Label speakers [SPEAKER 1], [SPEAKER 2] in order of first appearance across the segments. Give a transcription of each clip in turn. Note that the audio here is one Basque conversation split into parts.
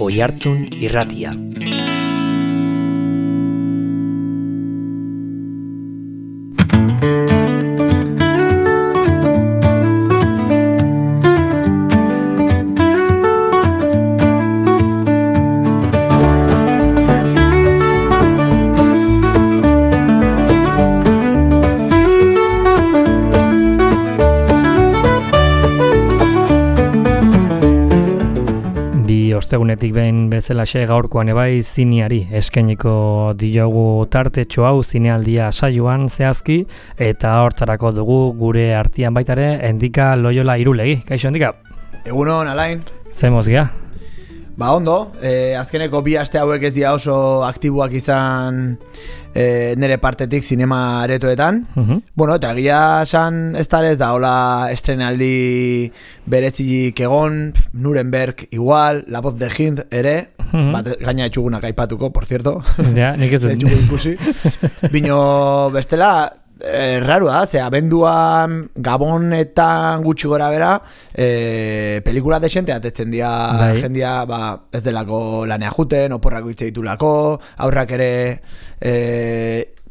[SPEAKER 1] Oihartzun Irratia.
[SPEAKER 2] Ostegunetik behin bezalaxe gaurkoan ebai zineari eskainiko diogu tartetxo hau zinealdia saioan zehazki eta hortarako dugu gure artean baitare Endika Loyola Irulegi. Kaixo Endika?
[SPEAKER 3] Egunon, Alain.
[SPEAKER 2] Zer mozgia?
[SPEAKER 3] Ba ondo, azkeneko bi aste hauek ez dira oso aktiboak izan nire partetik zinema aretoetan. Bueno, eta egia esan ez da hola estrenaldi berezik egon, Nuremberg igual, La Voz de Hind ere, bat gaina etxugunak aipatuko, por cierto.
[SPEAKER 2] Ja, nik ez dut.
[SPEAKER 3] Etxugu ikusi. Bino bestela, raro da, ze abenduan Gabonetan gutxi gora bera pelikula desente atetzen dira jendia ez delako lanea juten, oporrako hitz ditulako, aurrak ere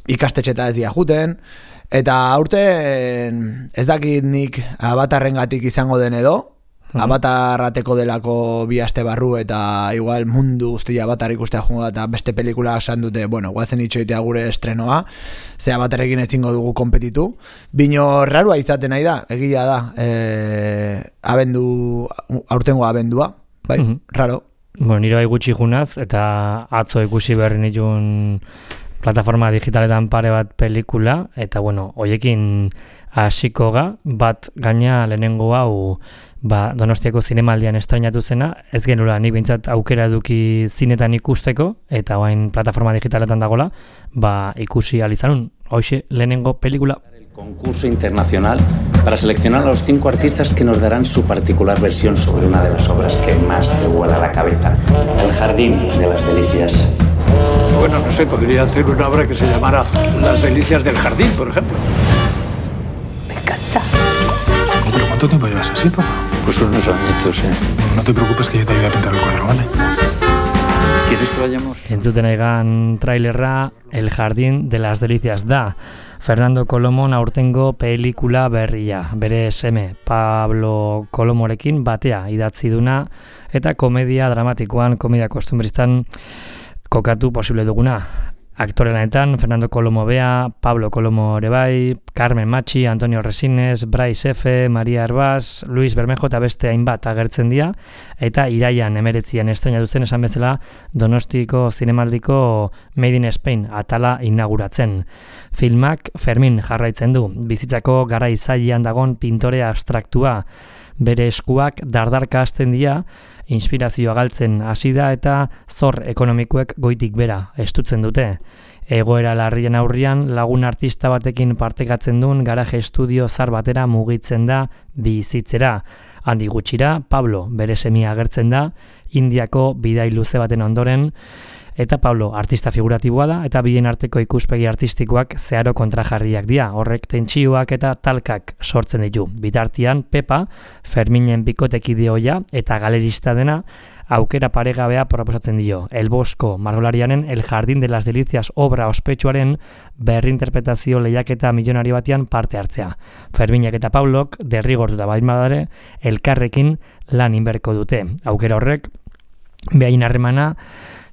[SPEAKER 3] ikastetxeta ez dira juten, eta aurten ez dakit nik Avatarrengatik izango den edo, Avatarrateko delako bi aste barru eta igual mundu guztia Avatar ikustea joango da eta beste pelikula esan dute, bueno, guazen itxoitea gure estrenoa, ze Avatarrekin ezingo dugu konpetitu. Bino rarua izaten nahi da, egia da, aurtengo abendua, bai, raro.
[SPEAKER 2] Bueno, nire bai gutxi junaz eta atzo ikusi berri nituen plataforma digitaletan pare bat pelikula, eta bueno, hoiekin hasiko ga, bat gaina lehenengo hau Donostiako zinemaldian estrainatu zena, ez genula nik behintzat aukera eduki zinetan ikusteko, eta orain plataforma digitaletan dagola, ikusi alizanun, hoxe lehenengo pelikula.
[SPEAKER 4] El concurso internacional para seleccionar a los 5 artistas que nos darán su particular versión sobre una de las obras que más te vuela la cabeza, El Jardín de las Delicias.
[SPEAKER 5] Bueno, no sé, podría hacer una obra que se llamara Las Delicias del Jardín, por ejemplo.
[SPEAKER 6] Me encanta.
[SPEAKER 7] ¿Pero cuánto tiempo llevas así, papá?
[SPEAKER 5] Pues unos añitos,
[SPEAKER 7] No te preocupes que yo te ayudo a pintar el cuadro, ¿vale?
[SPEAKER 5] ¿Quieres que vayamos?
[SPEAKER 2] Entzuten aigan trailerra El Jardín de las Delicias da. Fernando Colomon aurtengo pelikula berria. Bere seme Pablo Colomorekin batea idatzi duna eta komedia dramatikoan, komedia kostumbristan kokatu posible duguna. Aktore lanetan, Fernando Colomo bea, Pablo Colomo ere bai, Carmen Machi, Antonio Resines, Bryce F., Maria Herbaz, Luis Bermejo eta beste hainbat agertzen dira, eta iraian 19 estreinatu zen esan bezala Donostiko zinemaldiko Made in Spain atala inauguratzen. Filmak Fermin jarraitzen du, bizitzako garai zailean dagon pintore abstraktua, bere eskuak dardarka hasten dira, inspirazioa galtzen hasi da eta zor ekonomikoek goitik bera estutzen dute. Egoera larrien aurrian lagun artista batekin partekatzen duen garaje estudio zar batera mugitzen da bizitzera. Handi gutxira, Pablo bere semia agertzen da, Indiako bidai luze baten ondoren, eta Pablo artista figuratiboa da, eta bien arteko ikuspegi artistikoak zeharo kontrajarriak dira, horrek tentsioak eta talkak sortzen ditu. Bitartian, Pepa, Ferminen bikotekidea eta galerista dena, aukera paregabea proposatzen dio. El Bosco margolarianen El Jardín de las Delicias obra ospetsuaren berrinterpretazio lehiaketa milionari batean parte hartzea. Ferminek eta Pablok derrigortuta badimadare elkarrekin lan inberko dute. Aukera horrek behain harremana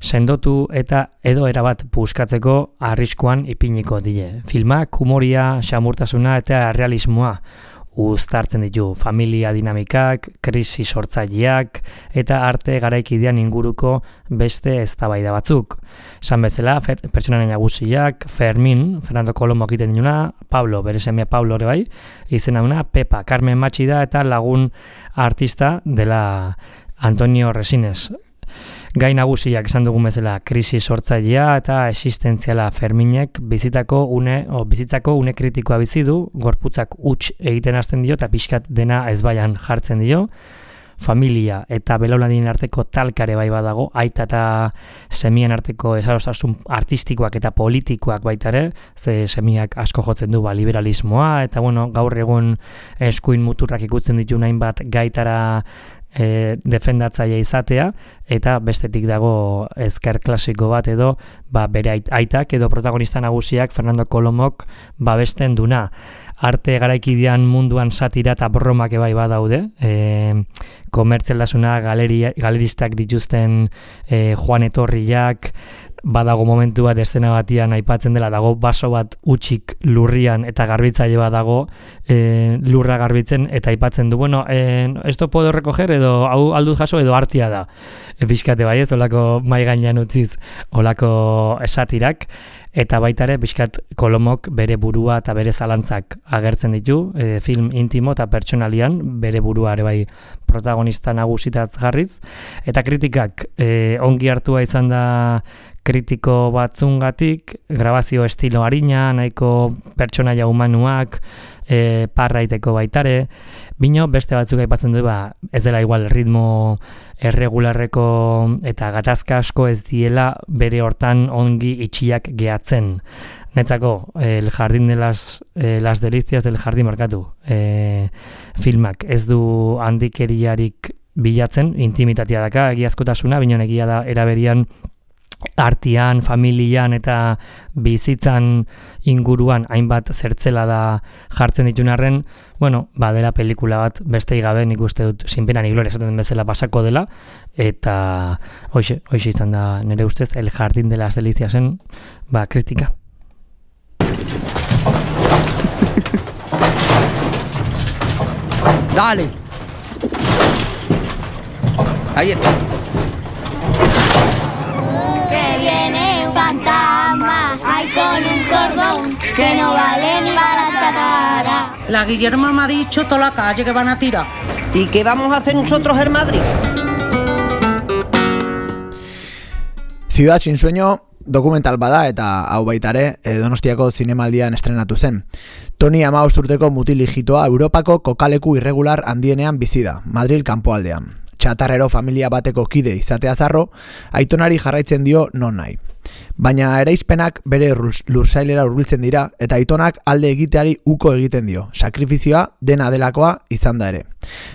[SPEAKER 2] sendotu eta edo erabat puskatzeko arriskuan ipiniko die. Filmak humoria, xamurtasuna eta realismoa uztartzen ditu, familia dinamikak, krisi sortzaileak eta arte garaikidean inguruko beste eztabaida batzuk. Esan bezala, pertsonaren nagusiak, Fermin, Fernando Colomo egiten dinuna, Pablo, bere semea Pablo ere bai, izena una, Pepa, Carmen Machi da eta lagun artista dela Antonio Resines. Gai nagusiak esan dugun bezala krisi sortzailea eta existentziala Ferminek bizitzako une kritikoa bizi du, gorputzak huts egiten hasten dio eta pixkat dena ezbaian jartzen dio. Familia eta belaunaldien arteko talkare bai badago, aita eta semien arteko esarostasun artistikoak eta politikoak baita ere, ze semiak asko jotzen du liberalismoa, eta bueno, gaur egun eskuin muturrak ikutzen ditu hainbat gaitara defendatzaile izatea, eta bestetik dago ezker klasiko bat edo bere aitak edo protagonista nagusiak Fernando Colomok babesten duna. Arte garaikidean munduan satira eta bromak ebai badaude, komertzialdasuna galeristak dituzten Juan Etorriak, badago momentu bat eszena batian aipatzen dela, dago baso bat utxik lurrian eta garbitzaile bat dago lurra garbitzen eta aipatzen du, bueno, esto puedo recoger edo hau alduz jaso edo artia da. Pixkate bai ez, olako mai gainean utziz olako satirak, eta baita ere pixkat Colomok bere burua eta bere zalantzak agertzen ditu, film intimo eta pertsonalian bere burua ere bai protagonista nagusitaz jarriz, eta kritikak ongi hartua izan da kritiko batzungatik, grabazio estilo arina, nahiko pertsonaia humanuak, parraiteko baitare, bino beste batzuk aipatzen du, ez dela igual ritmo erregularreko eta gatazka asko ez diela bere hortan ongi itxiak gehatzen. Netzako, el jardín de las delicias del jardín markatu. Filmak ez du handikeriarik bilatzen, intimitatea daka, egiazkotasuna, bino egia da eraberian artian, familian eta bizitzan inguruan hainbat zertzela da jartzen ditun arren, bueno, dela pelikula bat bestei gabe nik uste dut sinpena ni gloria esaten bezala pasako dela, eta hoxe izan da nire ustez el jardín de las deliciasen kritika.
[SPEAKER 1] Dale. Ahí está.
[SPEAKER 8] Viene un fantasma, hay con un cordón que no vale ni para chatarra.
[SPEAKER 1] La Guillermo me ha dicho toda la calle que van a tirar. ¿Y qué vamos a hacer nosotros en Madrid?
[SPEAKER 3] Ciudad sin sueño dokumental bada eta hau baitare Donostiako zinemaldian estrenatu zen. Toni 15 urteko mutilijitoa Europako kokaleku irregular handienean bizi da, Madril kanpoaldean. Txatarrero familia bateko kide izatea zarro, aitonari jarraitzen dio non nahi. Baina eraispenak bere lursailera hurbiltzen dira eta aitonak alde egiteari uko egiten dio. Sakrifizioa dena delakoa izan da ere.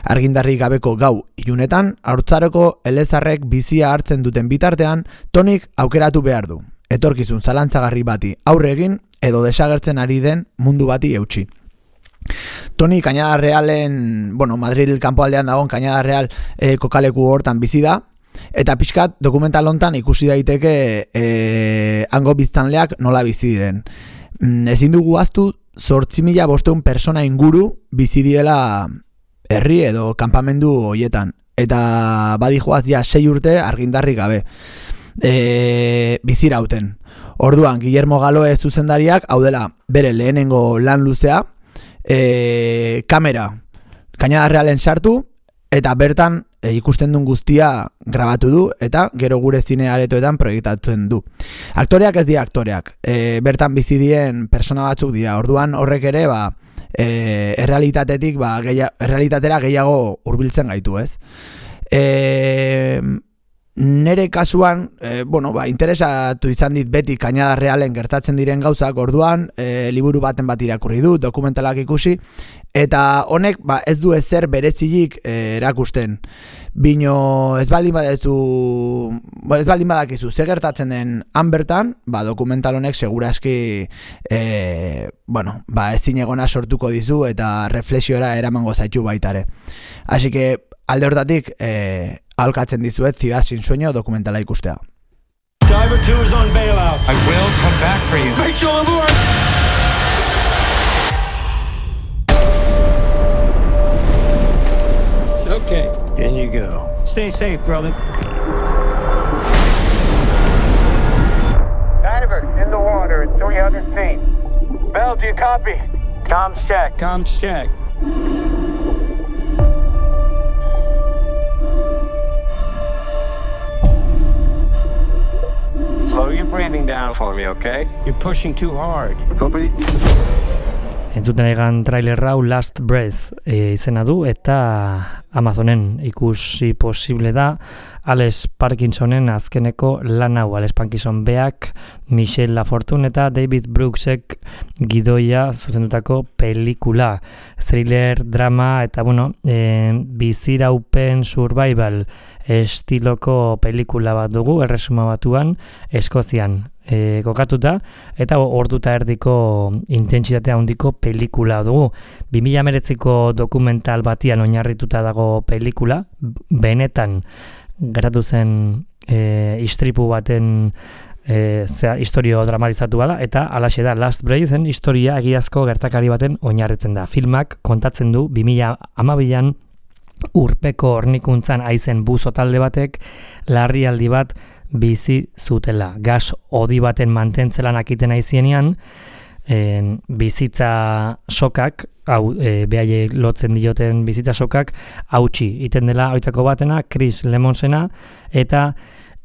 [SPEAKER 3] Argindarri gabeko gau ilunetan, haurtzaroko elezarrek bizia hartzen duten bitartean, Tonik aukeratu behar du. Etorkizun zalantzagarri bati aurre egin edo desagertzen ari den mundu bati eutsi. Toni Cañada Realen, Madril kanpoaldean dagoen Cañada Real kokaleku hortan bizi da, eta pixkat dokumental hontan ikusi daiteke hango biztanleak nola bizi diren. Ezin dugu ahaztu 8.500 persona inguru bizi diela herri edo kanpamendu hoietan, eta badijoaz ja 6 urte argindarri gabe bizirauten. Orduan, Guillermo Galoe zuzendariak, hau dela bere lehenengo lan luzea, kamera Cañada Realen sartu eta bertan ikusten duen guztia grabatu du eta gero gure zine aretoetan proiektatzen du. Aktoreak ez dira aktoreak, bertan bizi dien persona batzuk dira. Orduan horrek ere errealitatetik errealitatera gehiago hurbiltzen gaitu, ez? Nere kasuan, interesatu izan dit beti Cañada Realen gertatzen diren gauzak, orduan liburu baten bat irakurri du, dokumentalak ikusi, eta honek ez du ezer berezilik erakusten. Bino ez baldin badakizu ze gertatzen den han bertan, dokumental honek seguraski ezin egona sortuko dizu eta reflexiora eramango zaitu baitare. Así que alde hortatik aholkatzen dizuet Ciudad sin sueño dokumentala ikustea.
[SPEAKER 5] Diver 2 is on bailout.
[SPEAKER 7] I will come back for you.
[SPEAKER 5] Rachel aboard! Okay, in you go. Stay safe, brother.
[SPEAKER 9] Diver, in the water at 300 feet. Bell, do you copy? Comms check.
[SPEAKER 5] Comms check.
[SPEAKER 9] Slow your breathing down for me, okay?
[SPEAKER 5] You're pushing too hard.
[SPEAKER 7] Copy.
[SPEAKER 2] Entzuten egan trailer hau Last Breath izena du eta Amazonen ikusi posible da Alex Parkinsonen azkeneko lan hau. Alex Parkinson beak, Michelle Lafortune eta David Brooksek gidoia zuzendutako pelikula. Thriller, drama eta biziraupen survival estiloko pelikula bat dugu, Erresuma Batuan, Eskozian kokatuta, eta orduta erdiko intentsitate handiko pelikula dugu. 2019ko dokumental batian oinarrituta dago pelikula, benetan geratu zen istripu baten historio dramatizatu bada, eta alaxe da Last Breathen historia egiazko gertakari baten oinarritzen da. Filmak kontatzen du 2012an urpeko hornikuntzan aizen buzo talde batek larrialdi bat bizi zutela. Gas hodi baten mantentzela nakiten aizienean, bizitza sokak, behaiek lotzen dioten bizitza sokak, hautsi iten dela oitako batena, Chris Lemonsena, eta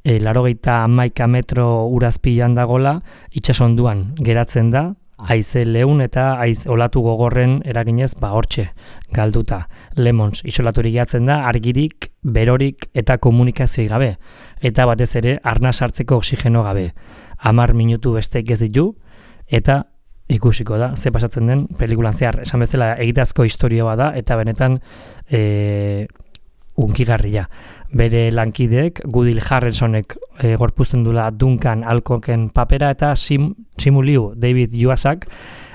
[SPEAKER 2] 81 metro urazpilan dagola, itsasonduan geratzen da, haize leun eta olatu gogorren eraginez hortxe galduta. Lemons isolaturik gehatzen da, argirik, berorik eta komunikazioi gabe. Eta batez ere, arnas hartzeko oxigeno gabe. 10 minutu besteik ez ditu, eta ikusiko da, ze pasatzen den pelikulan zehar. Esan bezala, egitazko historio bada, eta benetan unkigarria. Bere lankideek, Goodwill Harrelsonek gorpuzten dula Duncan Alcocken papera, eta Simu Liu, David Yuasak,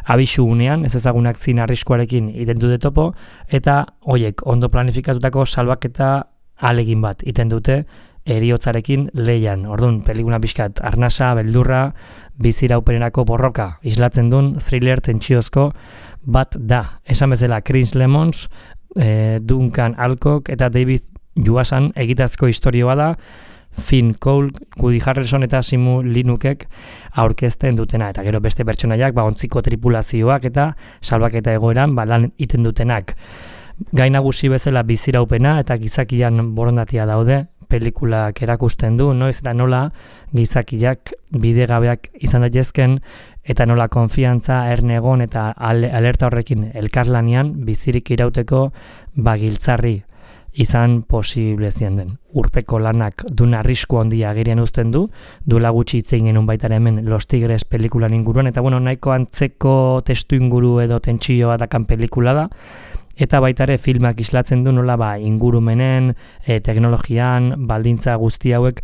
[SPEAKER 2] abisu unean, ez ezagunak zin arriskuarekin iten dute topo, eta hoiek ondo planifikatutako salbaketa alegin bat iten dute eriotzarekin leian. Orduan, pelikula pixkat arnasa, beldurra, biziraupenerako borroka islatzen duen thriller tentsiozko bat da. Esan bezala, Chris Lemons, Duncan Alcock eta David Yuasan egitazko historioa da, Finn Cole, Woody Harrelson eta Simu Linukek aurkezten dutena, eta gero beste pertsonaiak ontziko tripulazioak eta salbaketa egoeran lan iten dutenak. Gai nagusi bezala biziraupena eta gizakian borondatia daude, pelikulak erakusten du, noiz eta nola gizakiak bidegabeak izan daitezken, eta nola konfiantza, ernegon eta alerta horrekin elkarlanean bizirik irauteko giltzarri izan posible zien den. Urpeko lanak dun arrisku handia agerian uzten du, duela gutxi hitz egin genuen baita hemen Los Tigres pelikulan inguruan, eta nahiko antzeko testu inguru edo tentsioa dakan pelikula da, eta baita ere filmak islatzen du nola ingurumenen, teknologian, baldintza guzti hauek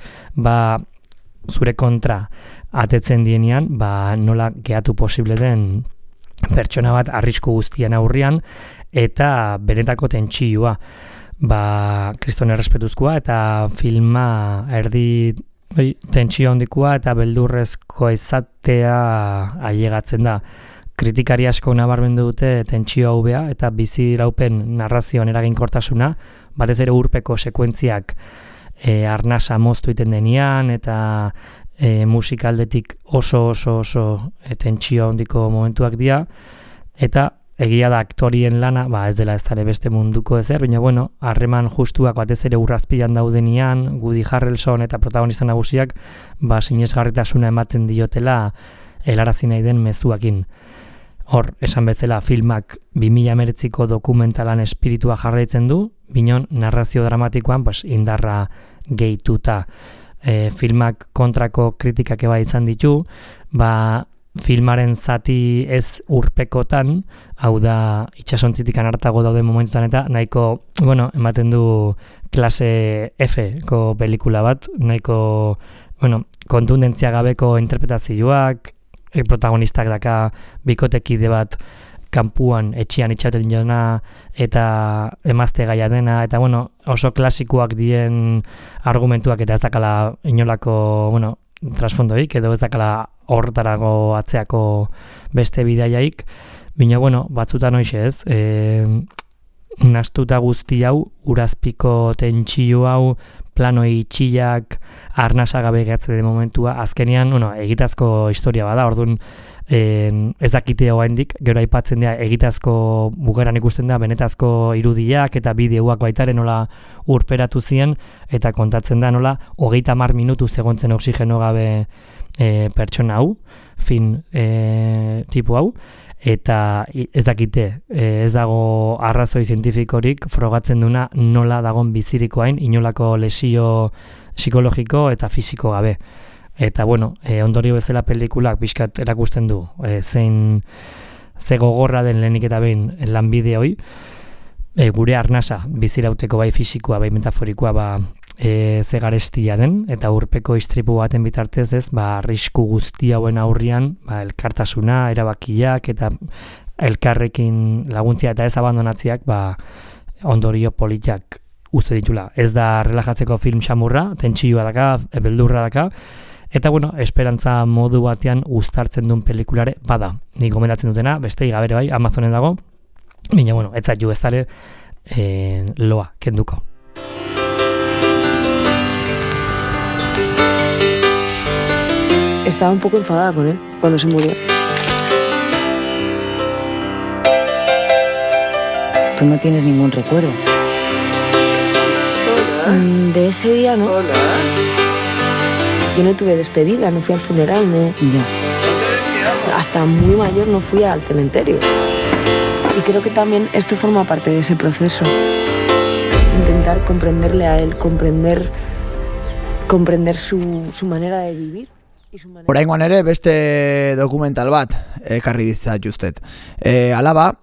[SPEAKER 2] zure kontra atetzen dienean, nola gehatu posible den pertsona bat arrisku guztian aurrian, eta benetako tentsioa. Kriston errespetuzkoa eta filma erdi tentsio handikoa eta beldurrezko izatea ailegatzen da. Kritikari asko nabarmendu dute tentsio hau bea eta biziraupen narrazioan eraginkortasuna, batez ere urpeko sekuentziak arnasa moztu iten denean eta musikaldetik oso tentsio handiko momentuak dira, eta egia da aktorien lana, ez dela ez dara beste munduko ezer, baina harreman justuak batez ere urrazpilan daudenean, Woody Harrelson eta protagonista nagusiak sinesgarritasuna ematen diotela helarazi nahi den mezuakin. Hor, esan bezala filmak 2019ko dokumentalan espiritua jarraitzen du, binon narrazio dramatikoan indarra gehituta. Filmak kontrako kritikak eba izan ditu, filmaren zati ez urpekotan, hau da itxasontzitikan hartago daude momentutan eta nahiko, ematen du klase F-ko pelikula bat, nahiko, kontundentzia gabeko interpretazioak, protagonistak daka bikotekide bat kanpuan etxian itxauten jona eta emazte gaia dena, eta oso klasikoak dien argumentuak eta ez dakala inolako, trasfondoik, edo ez dakala hortarago atzeako beste bidaiaik, baina batzutan hoxe ez, nastuta guzti hau, urazpiko tentsio hau, plano itxiak, arnasa gabe gehatzen den momentua, azkenean, egitazko historia bada, orduan ez dakite oraindik, gero aipatzen da egitazko bukaeran ikusten da benetazko irudiak eta bideoak baitaren nola urperatu zien, eta kontatzen da nola 30 minutu zegontzen oxigeno gabe pertsona hau, tipo hau, eta ez dakite, ez dago arrazoi zientifikorik frogatzen duna nola dagon bizirikoain inolako lesio psikologiko eta fisiko gabe. Eta bueno, ondorio bezala pelikulak pixkat erakusten du ze gogorra den lehenik eta behin lanbide hoi, gure arnasa bizirauteko bai fisikoa bai metaforikoa ze garestia den, eta urpeko istripu baten bitartez ez, arrisku guzti hauen aurrian elkartasuna, erabakiak eta elkarrekin laguntzia eta ez abandonatziak ondorio politak uzte ditula. Ez da relajatzeko film xamurra, tentsioa daka, beldurra daka, eta bueno, esperantza modu batean uztartzen duen pelikulare bada. Nik gomendatzen dutena, beste igabere bai, Amazonen dago, baina bueno, ez zaitu ez dale loa kenduko.
[SPEAKER 6] Estaba un poco enfadada con él cuando se murió. Tú no tienes ningún recuerdo. De ese día, ¿no? Hola. Yo no tuve despedida, no fui al funeral, no. Ya. Hasta muy mayor no fui al cementerio. Y creo que también esto forma parte de ese proceso. Intentar comprenderle a él, comprender su manera de vivir.
[SPEAKER 3] Oraingoan ere beste dokumental bat ekarri ditzatuztet. Alaba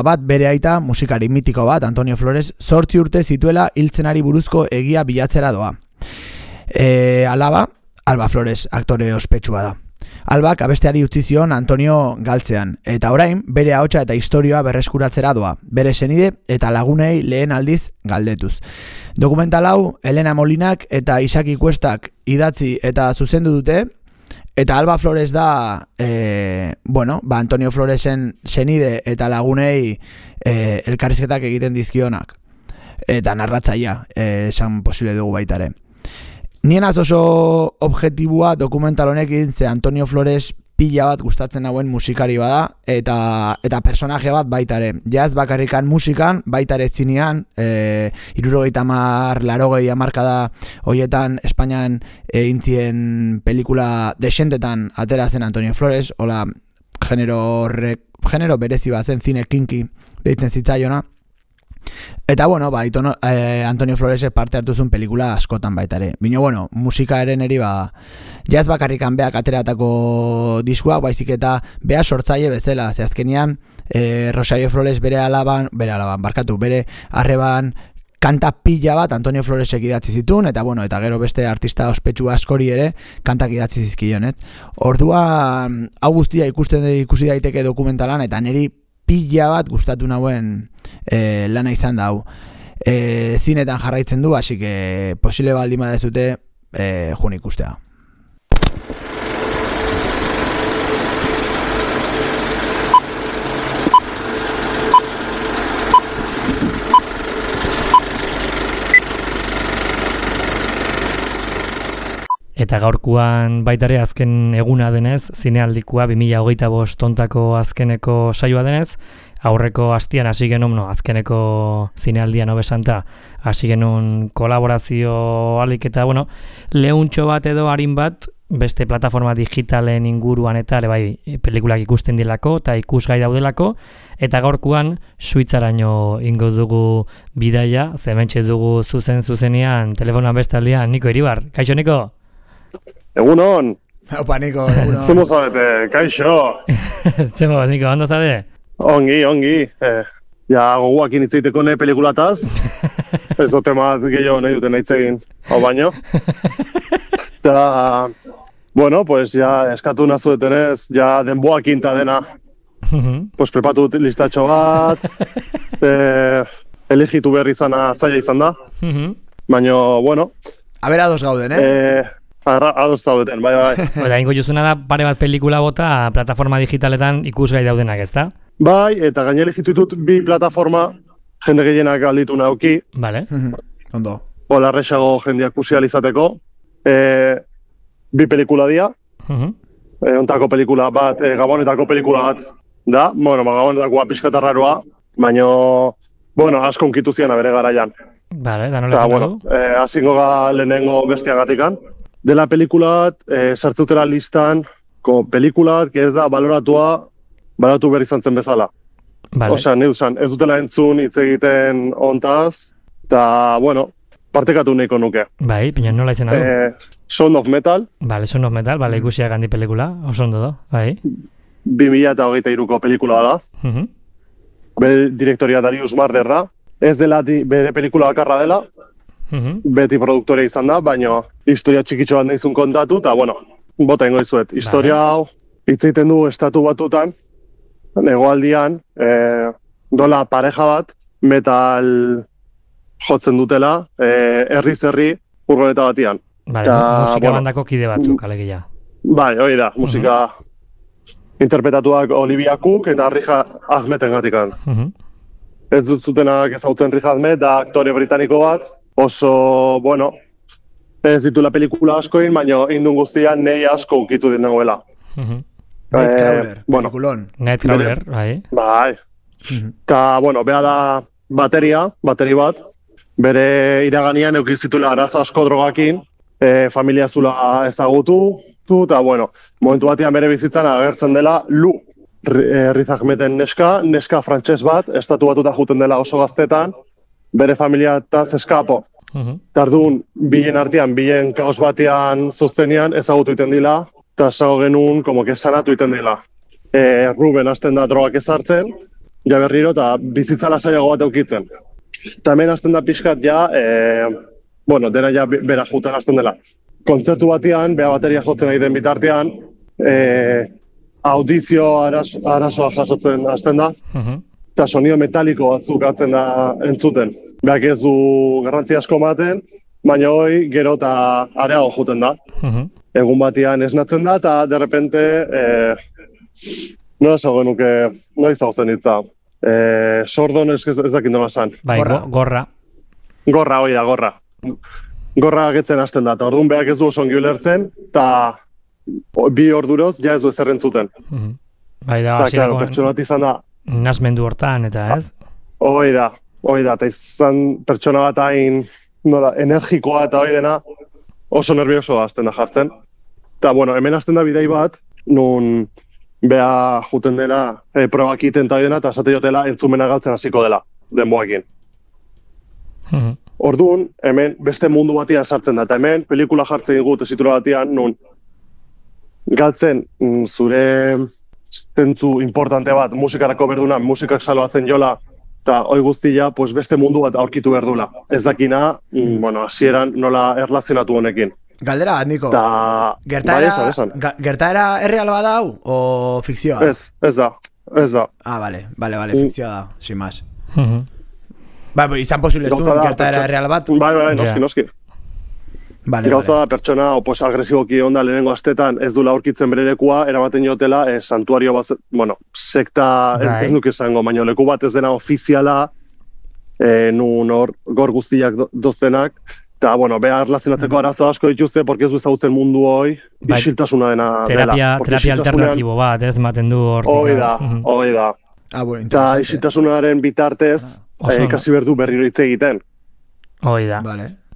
[SPEAKER 3] bat bere aita musikari mitiko bat, Antonio Flores, 8 urte zituela hiltzenari buruzko egia bilatzera doa. Alba Flores aktore ospetsua da. Albak abesteari utzi zion Antonio galtzean, eta orain bere ahotsa eta istorioa berreskuratzera doa, bere senide eta lagunei lehen aldiz galdetuz. Dokumental hau Elena Molinak eta Isaki Kuestak idatzi eta zuzendu dute, eta Alba Flores da Antonio Floresen senide eta lagunei elkarrizketak egiten dizkionak, eta narratzaia esan posible dugu baitare. Nien oso objektibua dokumental honekin, ze Antonio Flores pila bat gustatzen hauen musikari bada, eta personaje bat baitare. Jaz bakarrikan musikan, baitare zinean, 70, 80 hamarkada hoietan Espainian intzien pelikula desentetan atera zen Antonio Flores, hola genero berezi bat zen, zine kinki deitzen zitzaiona. Eta Antonio Flores parte hartu zuen pelikula askotan baitare. Bino musika eren eri jaz bakarrikan beak ateratako diskuak, baizik eta bea sortzaile bezala. Ze azkenian Rosario Flores bere arreban kanta pila bat Antonio Floresek idatzi zituen, eta gero beste artista ospetsu askori ere kantak idatzi zizkion, ez? Orduan hau guztia ikusi daiteke dokumentalan, eta niri pila bat gustatu nauen lana izan da hau. Zinetan jarraitzen du, así que posible baldin badezute jun ikustea.
[SPEAKER 2] Eta gaurkoan baitare azken eguna denez, zinealdikoa 2025 tontako azkeneko saioa denez, aurreko hastian hasi genuen, azkeneko zinealdian hobesanta, hasi genuen kolaborazio alik eta, lehuntxo bat edo harin bat, beste plataforma digitalen inguruan eta pelikulak ikusten dilako eta ikusgai daudelako, eta gaurkoan Suitzaraino ingo dugu bidaia, zementxe dugu zuzenean, telefonoan bestaldean, Niko Iribar. Kaixo, Niko?
[SPEAKER 10] Egunon!
[SPEAKER 3] Opa, Niko, egunon.
[SPEAKER 10] Zemo zabete, kaixo!
[SPEAKER 2] Zemo, Niko, ondo zade?
[SPEAKER 10] Ongi. Goguak initzeiteko ne pelikulataz. Ez do tema gehiago nahi duten aitzegin, hau baino. Eta, eskatu nazuetenez, denboak inta dena. Prepatu listatxo bat, elegitu behar izana zaila izan da. Baina,
[SPEAKER 3] A ber, ados gauden,
[SPEAKER 10] ados zaudeten, bai.
[SPEAKER 2] Ingo juzuna da pare bat pelikula bota plataforma digitaletan ikusgai daudenak, ezta?
[SPEAKER 10] Bai, eta gaine elegitu ditut bi plataforma jende gehienak alditu nauki.
[SPEAKER 2] Vale.
[SPEAKER 3] Ondo.
[SPEAKER 10] Larrexago jendeak kusializateko. Bi pelikula dia. ontako pelikula bat, Gabonetako pelikula bat da, bueno, Gabonetakoa pixkatarraroa, baina, bueno, asko unkitu ziana bere garaian.
[SPEAKER 2] Vale, da nola
[SPEAKER 10] bueno, asingo ga lehenengo bestiagatikan. Dela pelikula bat, sartzutela listan, pelikula bat, ez da baloratu behar izan zen bezala.
[SPEAKER 2] Vale.
[SPEAKER 10] Osea, neuzan, ez dutela entzun hitz egiten ontaz, eta, bueno, partekatu nahiko nuke.
[SPEAKER 2] Bai, pina nola izena du?
[SPEAKER 10] Sound of Metal.
[SPEAKER 2] Vale, Sound of Metal, vale, ikusiak handi pelikula, oso ondo da, bai.
[SPEAKER 10] 2023ko pelikula da. Bere direktoria Darius Marder da. Ez dela bere pelikula bakarra dela, beti produktorea izan da, baina historia txikitxo bat nahizun kontatu, eta, bueno, bota ingo izuet. Historia hau hitz egiten du Estatu Batutan, hegoaldian, dola pareja bat, metal jotzen dutela, herri furgoneta batian.
[SPEAKER 2] Vale, musika bandako kide batzuk, alegia.
[SPEAKER 10] Bai, hori da, musika interpretatuak Olivia Cook eta Rija Ahmeten gatikan. Ez dut zutenak ezautzen Rija Ahmed, da aktore britaniko bat, oso, bueno, ez ditula pelikula askoin, baina indun guztian nei asko ukitu dit nagoela.
[SPEAKER 3] Nightcrawler, pelikulon.
[SPEAKER 2] Nightcrawler, bai.
[SPEAKER 10] Bai. Eta, bueno, beha da bateri bat, bere iraganian eukizitula arazo asko drogakin, familia zula ezagutu, eta, bueno, momentu batean bere bizitzan agertzen dela Lu. Riz Ahmeten neska frantses bat, Estatu Batuta juten dela oso gaztetan, bere familiataz eskapo. Tardun, bilen artean, bilen kaos batean zoztenean ezagutu iten dila, eta esago genuen, como que sanatu iten dila. Ruben hasten da drogak ezartzen, ja berriro, eta bizitza lasaiago bat eukitzen. Eta hemen hasten da pixkat ja, bueno, dena ja bera juten hasten dela. Kontzertu batean, beha bateria jotzen nahi den bitartean, audizio arazoa jasotzen hasten da, eta sonido metaliko batzuk hatzen da entzuten. Beak ez du garrantzi asko ematen, baina hoi gero eta areago juten da. Egun batean esnatzen da, eta derrepente, nola esago genuke, nola izauzen hitza. Sordon ez dakit nola esan.
[SPEAKER 2] Bai, gorra.
[SPEAKER 10] Gorra, hoi da, gorra. Gorra agetzen hasten da, eta orduan beak ez du oso ongi ulertzen, eta 2 orduroz ja ez du ezer entzuten.
[SPEAKER 2] Bai da,
[SPEAKER 10] claro, pertsona bat izan da.
[SPEAKER 2] Nasmendu hortan, eta ez?
[SPEAKER 10] Hoi da, eta izan pertsona bat hain energikoa eta hori dena oso nervioso hasten da jartzen. Eta, bueno, hemen hasten da bidei bat, nun beha juten dela probak iten eta hori dena, eta esate jotela entzumena galtzen hasiko dela, denboekin. Orduan, hemen beste mundu batian sartzen da, eta hemen pelikula jartzen dugu tesitura batian, nun galtzen zure zentzu importante bat, musikarako berduna, musikak saloatzen jola, eta hoi guztia, pues beste mundu bat aurkitu berdula. Ez dakina, bueno, hasieran nola erlazionatu honekin.
[SPEAKER 3] Galdera, Niko, gertaera erreal bat hau, o fikzioa?
[SPEAKER 10] Ez da.
[SPEAKER 3] Ah, vale, fikzioa da, sin más. Bai, izan posible ez du, gertaera erreal bat?
[SPEAKER 10] Bai, noski. Gauza da pertsona agresiboki onda lehenengo astetan ez dula aurkitzen bere lekua, eramaten jotela santuario bat, bueno, sekta ez nuke izango, baina leku bat ez dena ofiziala, nun hor gor guztiak doztenak, eta, bueno, behar erlazionatzeko arazo asko dituzte, porque ez du ezagutzen mundu hoi, isiltasuna dena dela.
[SPEAKER 2] Terapia alternatibo bat, ez maten du hortik.
[SPEAKER 10] Hoi da. Eta isiltasunaren bitartez, kasi berdu berriro hitz egiten.
[SPEAKER 2] Hoi da.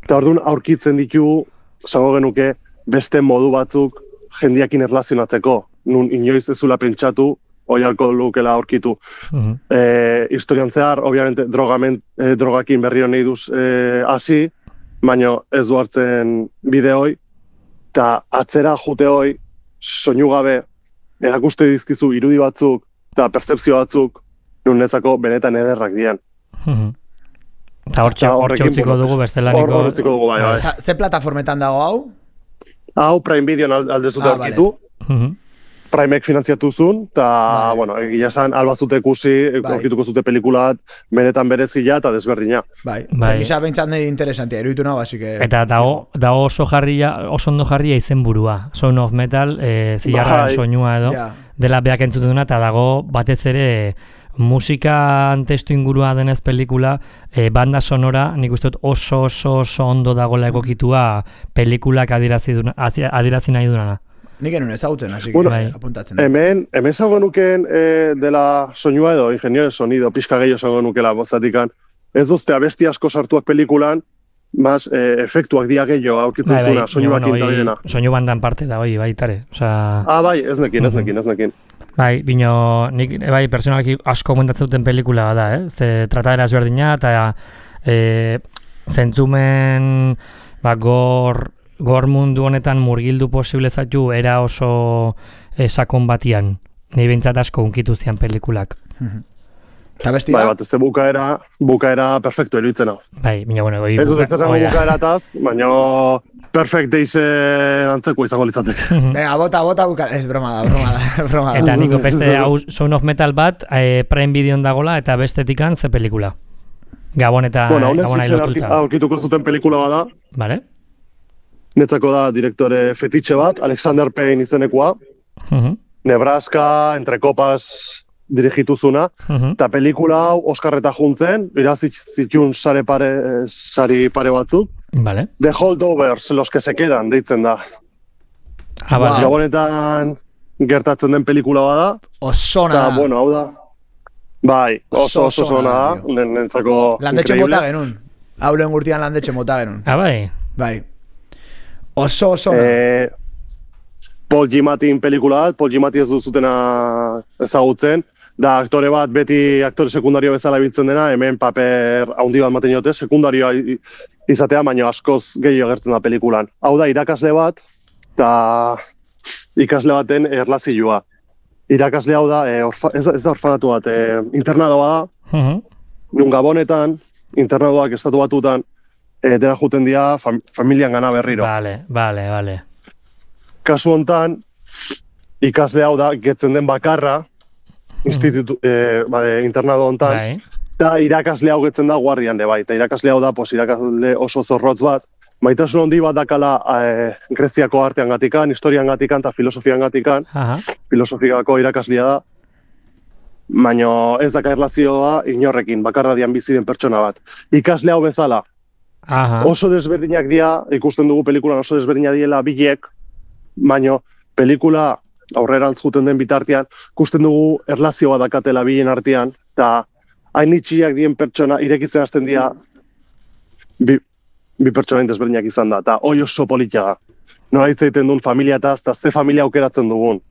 [SPEAKER 10] Eta orduan aurkitzen ditu, zango genuke, beste modu batzuk jendiakin erlazionatzeko. Nun inoiz ez zula pentsatu, hoi alko lukela aurkitu. Historian zehar, obviamente, drogakin berriro nahi duz hasi, baina ez du hartzen bideoi, eta atzera jute hoi, soinu gabe, erakuste dizkizu irudi batzuk, eta pertzepzio batzuk, nun netzako benetan ederrak dian.
[SPEAKER 2] Eta hortxe utziko dugu bestelaniko...
[SPEAKER 10] Hortziko dugu, bai.
[SPEAKER 3] Ze plataformetan dago hau?
[SPEAKER 10] Hau Prime Videon aldezut aurkitu. Primeek finantziatu zuen, eta, bueno, egia esan, albazute ikusi, aurkituko zute pelikulat, benetan berezila eta desberdina.
[SPEAKER 3] Bai, premisa behintzat nahi interesantia, eruditu nago, así que...
[SPEAKER 2] Eta dago oso ondo jarria izen burua. Sound of Metal, zilarraren soinua edo, dela beak entzuten duna, eta dago batez ere... Musikan testu ingurua denez pelikula, banda sonora, nik uste dut oso ondo dagoela egokitua pelikulak adierazi nahi dunana.
[SPEAKER 3] Nik enun ezagutzen, así que
[SPEAKER 10] Bueno,
[SPEAKER 3] apuntatzen.
[SPEAKER 10] Hemen zango nuken dela soinua edo ingenio de sonido, pixka gehiago zango nukela bozatikan. Ez dozte abesti asko sartuak pelikulan, mas efektuak dia gehiago aurkitzen zuna, soinuak intabidena.
[SPEAKER 2] Soinu bandan parte da, baitare.
[SPEAKER 10] Bai, ez nekin.
[SPEAKER 2] Bai, bino, nik bai personalki asko komentatzen duten pelikula da, Ze tratadera ezberdina eta zentzumen gor mundu honetan murgildu posible zaitu era oso sakon batian. Nei behintzat asko unkitu zian pelikulak.
[SPEAKER 3] Eta bestia?
[SPEAKER 10] Bai, bat ez bukaera perfecto eruditzen hau.
[SPEAKER 2] Bai, bina, bueno,
[SPEAKER 10] ez dut ez zango bukaerataz, baina perfect daysen antzeko izango litzatek.
[SPEAKER 3] Venga, bota bukaera. Ez, broma da.
[SPEAKER 2] Eta niko beste hau Sound of Metal bat Prime Videon dagola eta bestetikan ze pelikula. Gabon eta
[SPEAKER 10] Netflixen aurkituko zuten pelikula bada.
[SPEAKER 2] Vale.
[SPEAKER 10] Netzako da direktore fetitxe bat, Alexander Payne izenekoa. Nebraska, Entre Copas dirigituzuna, eta pelikula hau Oskarreta juntzen, irazi zitun sari pare batzuk.
[SPEAKER 2] Vale.
[SPEAKER 10] The Holdovers, los que se quedan, deitzen da.
[SPEAKER 2] Vale.
[SPEAKER 10] Gabonetan gertatzen den pelikula bada.
[SPEAKER 3] Osona da.
[SPEAKER 10] Bueno, hau da. Bai, oso zona da, nentzako
[SPEAKER 3] landetxe mota genuen. Hau lehen gurtian landetxe mota genuen.
[SPEAKER 2] Bai.
[SPEAKER 3] Bai. Oso zona.
[SPEAKER 10] Paul Giamatin pelikula bat, Paul Giamatti ez duzutena ezagutzen, da aktore bat beti aktore sekundario bezala biltzen dena, hemen paper handi bat maten jote, sekundarioa izatea, baina askoz gehiago agertzen da pelikulan. Hau da, irakasle bat, eta ikasle baten erlazioa. Irakasle hau da, ez da orfanatu bat, internadoa da, nun Gabonetan, internadoak estatu batutan, dena juten dira familian gana berriro.
[SPEAKER 2] Vale.
[SPEAKER 10] Kasu hontan, ikasle hau da, getzen den bakarra, internado hontan, eta irakasle hau getzen da guardian de bai, eta irakasle hau da, irakasle oso zorrotz bat, maitasun handi bat dakala Greziako artean gatikan, historian gatikan, eta filosofian gatikan, filosofiako irakaslea da, baina ez daka erlazioa inorrekin, bakarra dian bizi den pertsona bat. Ikasle hau bezala, oso desberdinak dira, ikusten dugu pelikulan oso desberdinak diela bilek, baina pelikula aurrerantz juten den bitartean, ikusten dugu erlazioa dakatela bilen artean, eta hain itxiak dien pertsona irekitzen hasten dira bi pertsona desberdinak izan da, eta hoi oso politia da. Nola hitzaiten duen familiataz, eta ze familia aukeratzen dugun.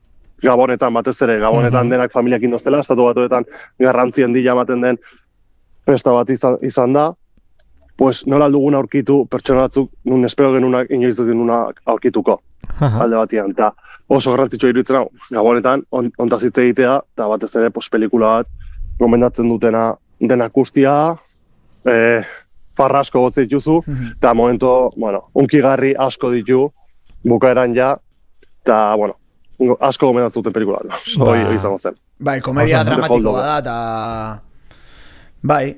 [SPEAKER 10] Gabonetan, batez ere, Gabonetan denak familiak indoztela, estatu batuetan garrantzien dila ematen den festa bat izan da, pues nola dugun aurkitu pertsona batzuk, nun espero genunak, inoiz dut genunak aurkituko. Alde batian, eta oso garrantzitsua iruditzen hau, Gabonetan, ontaz hitz egitea, eta batez ere, pelikula bat, gomendatzen dutena denak guztia, farra asko gotze dituzu, eta momento, unkigarri asko ditu, bukaeran ja, eta, asko gomendatzen duten pelikula bat, hori izango zen.
[SPEAKER 3] Bai, komedia dramatiko bada, eta, bai,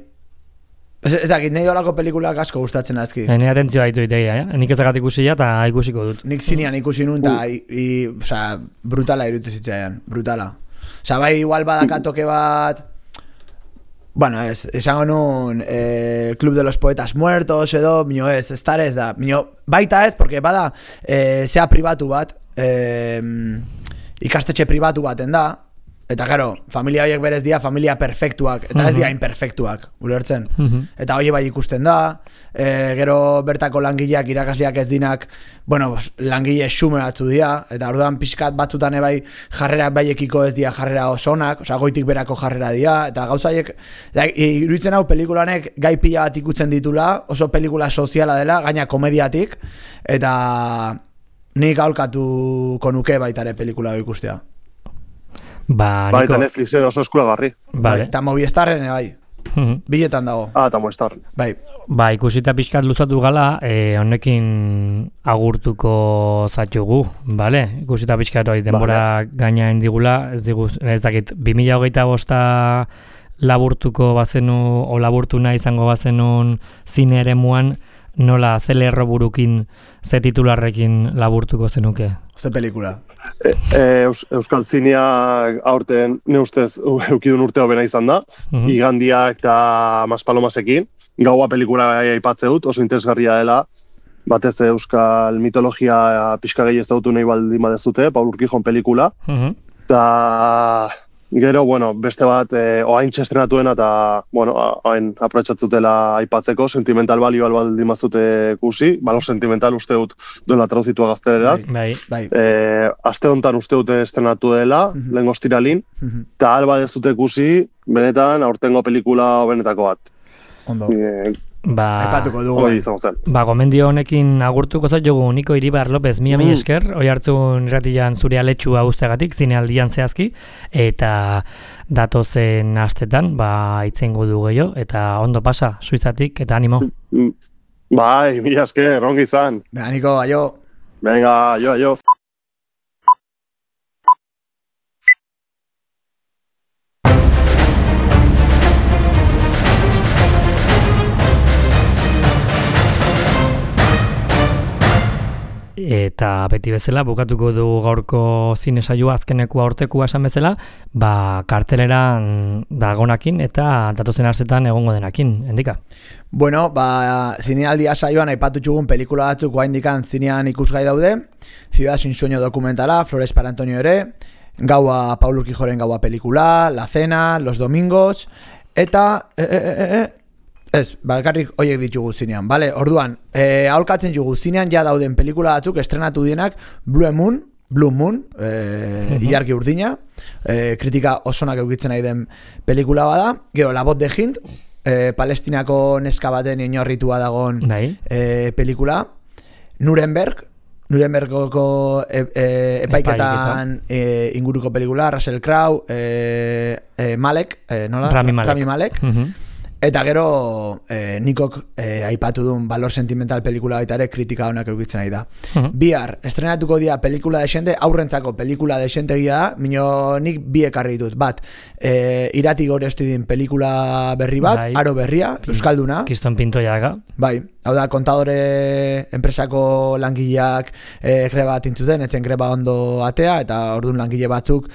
[SPEAKER 3] ez dakit, nahi dolako pelikulak asko gustatzen azki.
[SPEAKER 2] Ni atentzioa ditu itegia, nik ezagat ikusia eta ikusiko dut.
[SPEAKER 3] Nik zinean ikusi nun, eta brutala irutu zitzaian, brutala. Bai, igual badaka toke bat, bueno, esango nun, Club de los Poetas Muertos edo, minio ez da, minio baita ez, porque bada, zea pribatu bat, ikastetxe pribatu baten da, eta karo, familia horiek berez dira familia perfektuak, eta ez dira imperfektuak, ulertzen. Eta hori bai ikusten da, gero bertako langileak, irakasleak ez dinak, langile xume batzu dira, eta orduan pixkat batzutan ebai jarrera baiekiko ez dira jarrera osonak, goitik berako jarrera dira, eta gauza horiek, iruditzen hau pelikulanek gai pila bat ikutzen ditula, oso pelikula soziala dela, gaina komediatik, eta nik aholkatuko nuke baitare pelikula ikustea.
[SPEAKER 10] Eta Netflixen oso eskuragarri.
[SPEAKER 3] Eta Movistarren, bai. Biletan dago.
[SPEAKER 10] Eta Movistarren.
[SPEAKER 2] Bai, ikusita pixkat luzatu gala, honekin agurtuko zatugu, bale? Ikusita pixkat denbora gaina indigula, ez dakit, 2025 laburtuko bazenu, o laburtu nahi izango bazenun zine eremuan, nola ze lerro burukin, ze titularrekin laburtuko zenuke?
[SPEAKER 3] Ze pelikula?
[SPEAKER 10] Euskal zinea aurten ne ustez eukidun urte hobena izan da, Igandiak eta Maspalomasekin, gaua pelikula aipatze dut, oso interesgarria dela, batez euskal mitologia pixka gehi ezagutu nahi baldin badezute, Paul Urquijon pelikula. Eta gero, bueno, beste bat, oaintxe estrenatuena eta, bueno, hain aprotxatzutela aipatzeko, sentimental balio baldin bazute ikusi, balo sentimental uste dut duela traduzitua gazteleraz.
[SPEAKER 3] Bai.
[SPEAKER 10] Aste honetan uste dute estrenatu dela, lehen ostiralin, eta alba dezute ikusi, benetan, aurtengo pelikula benetako bat.
[SPEAKER 3] Ondo. Aipatuko dugu.
[SPEAKER 2] Gomendio honekin agurtuko zait jogu Niko Iribar López, mila esker, oi hartzun irratian zure aletxua guzteagatik, zinealdian zehazki, eta datozen astetan, itzengo du gehiago, eta ondo pasa, Suizatik, eta animo.
[SPEAKER 10] Bai, mila esker, ongi izan.
[SPEAKER 3] Venga, Niko, aio.
[SPEAKER 10] Venga, aio.
[SPEAKER 2] Eta beti bezala, bukatuko du gaurko zine saioa azkeneko aurtekua esan bezala, karteleran dagonakin eta datozen astetan egongo denakin, Endika?
[SPEAKER 3] Bueno, zinealdia saioan aipatu txugun pelikula batzuk oraindikan zinean ikusgai daude, Ciudad sin sueño dokumentala, Flores para Antonio ere, Gaua, Paul Urquijoren Gaua pelikula, La Cena, Los Domingos, eta... Balkarrik hoiek ditugu zinean, bale? Orduan, aholkatzen dugu zinean ja dauden pelikula batzuk estrenatu dienak Blue Moon, Ilargi urdina, kritika osonak eukitzen nahi den pelikula bada, gero La Voz de Hind, Palestinako neska baten inorritua dagon pelikula, Nurembergoko epaiketan inguruko pelikula, Russell Crowe, Malek, nola? Rami Malek. Eta gero Nikok aipatu duen Valor Sentimental pelikula baita ere kritika honak eukitzen nahi da. Bihar, estrenatuko dia pelikula desente, aurrentzako pelikula desentegia da, mino nik bi ekarri ditut. Bat, Irati Gore Estudien pelikula berri bat, Aro berria, Euskalduna.
[SPEAKER 2] Kiston Pintoiaga.
[SPEAKER 3] Bai, hau da, kontadore enpresako langileak greba bat intzuten, etzen greba ondo atea, eta orduan langile batzuk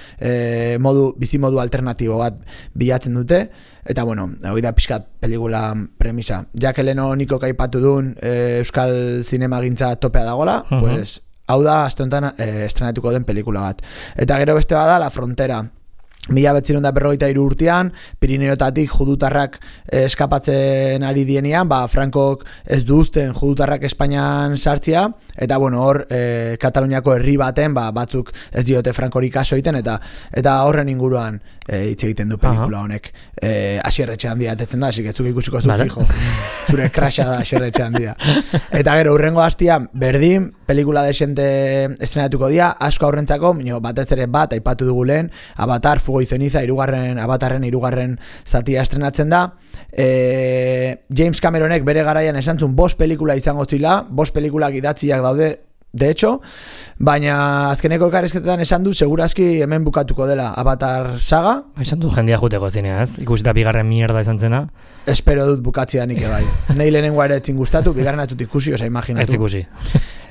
[SPEAKER 3] bizimodu alternatibo bat bilatzen dute. Eta bueno, hori da pixkat pelikula premisa. Jak Eleno Niko kaipatu duen euskal zinemagintza topea dagola, pues, hau da aste honetan estrenatuko den pelikula bat. Eta gero beste bada La Frontera. 1953 urtean, Pirineotatik judutarrak eskapatzen ari dienean, Frankok ez du uzten judutarrak Espainian sartzea, eta bueno, hor Kataluniako herri baten batzuk ez diote Frankori kaso egiten, eta horren inguruan hitz egiten du pelikula honek. Asierretxe handia atetzen da, asik ez zuk ikusiko zu fijo. Zure krasha da Asierretxe handia. Eta gero, urrengo hastian, berdin, pelikula desente estrenatuko dia, asko aurrentzako, batez ere bat, aipatu dugu lehen, Avatar, Fuego y Ceniza, Avatarren hirugarren zatia estrenatzen da. James Cameronek bere garaian esantzun 5 pelikula izango zila, 5 pelikulak idatziak daude, de hecho, baina azkeneko elkarrizketetan esan du segurazki hemen bukatuko dela Avatar saga.
[SPEAKER 2] Esan du jendia juteko zinea, ez? Ikusita bigarren mierda izan zena.
[SPEAKER 3] Espero dut bukatzea nik bai. Nei lehenengoa ere etzin gustatu, bigarren atut ikusi, oza, imaginatu.
[SPEAKER 2] Ez ikusi.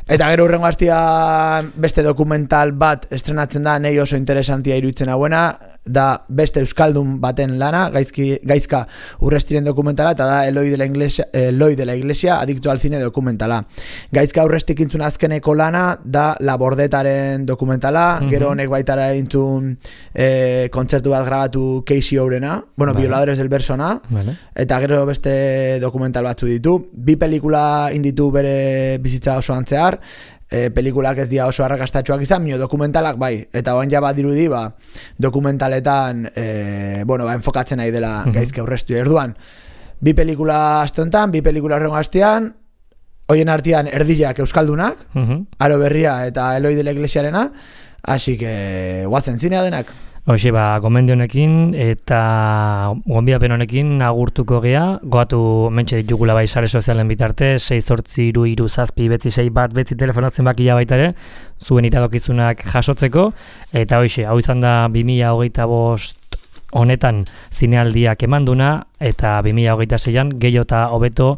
[SPEAKER 3] Eta gero hurrengo hastia beste dokumental bat estrenatzen da, nei oso interesantia iruditzen hauena, da beste euskaldun baten lana, gaizka Urrestiren dokumentala, eta da Eloi de la Iglesia, Adicto al Cine dokumentala. Gaizka Urrestik intzun azkeneko lana, da La Bordetaren dokumentala, gero honek baitara intzun kontzertu bat grabatu Casey Ourena, Violadores del Bersona, eta gero beste dokumental batzu ditu. 2 pelikula inditu bere bizitza oso antzear, pelikulak ez dira oso arrakastatxoak izan, dokumentalak bai, eta oan ja bat dirudi, dokumentaletan enfokatzen nahi dela gaizke Urrestu erduan. 2 pelikula aste honetan, 2 pelikula horrengo astean, hoien artean erdiak euskaldunak, Aro berria eta Eloi de la Iglesiarena, así que guazen zinea denak.
[SPEAKER 2] Hoxe, gomendio honekin eta gonbidapen honekin agurtuko gea, goatu mentxe ditugula bai sare sozialen bitarte, 68337 telefonatzen bakia baita ere, zuen iradokizunak jasotzeko, eta hoxe, hau izan da 2025 honetan zinealdiak emanduna, eta 2026an gehiago eta hobeto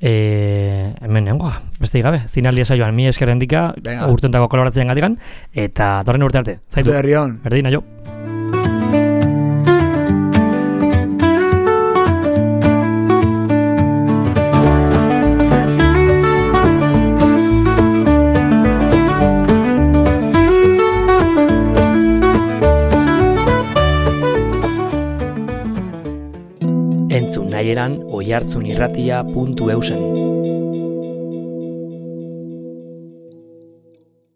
[SPEAKER 2] hemen nengoa, beste gabe, zinealdia saioan, mi esker Endika, urtentako kolaboratzen gatikan, eta torren urte arte, zaitu, berdin, aio. Entzun nahieran oihartzunirratia.eusen.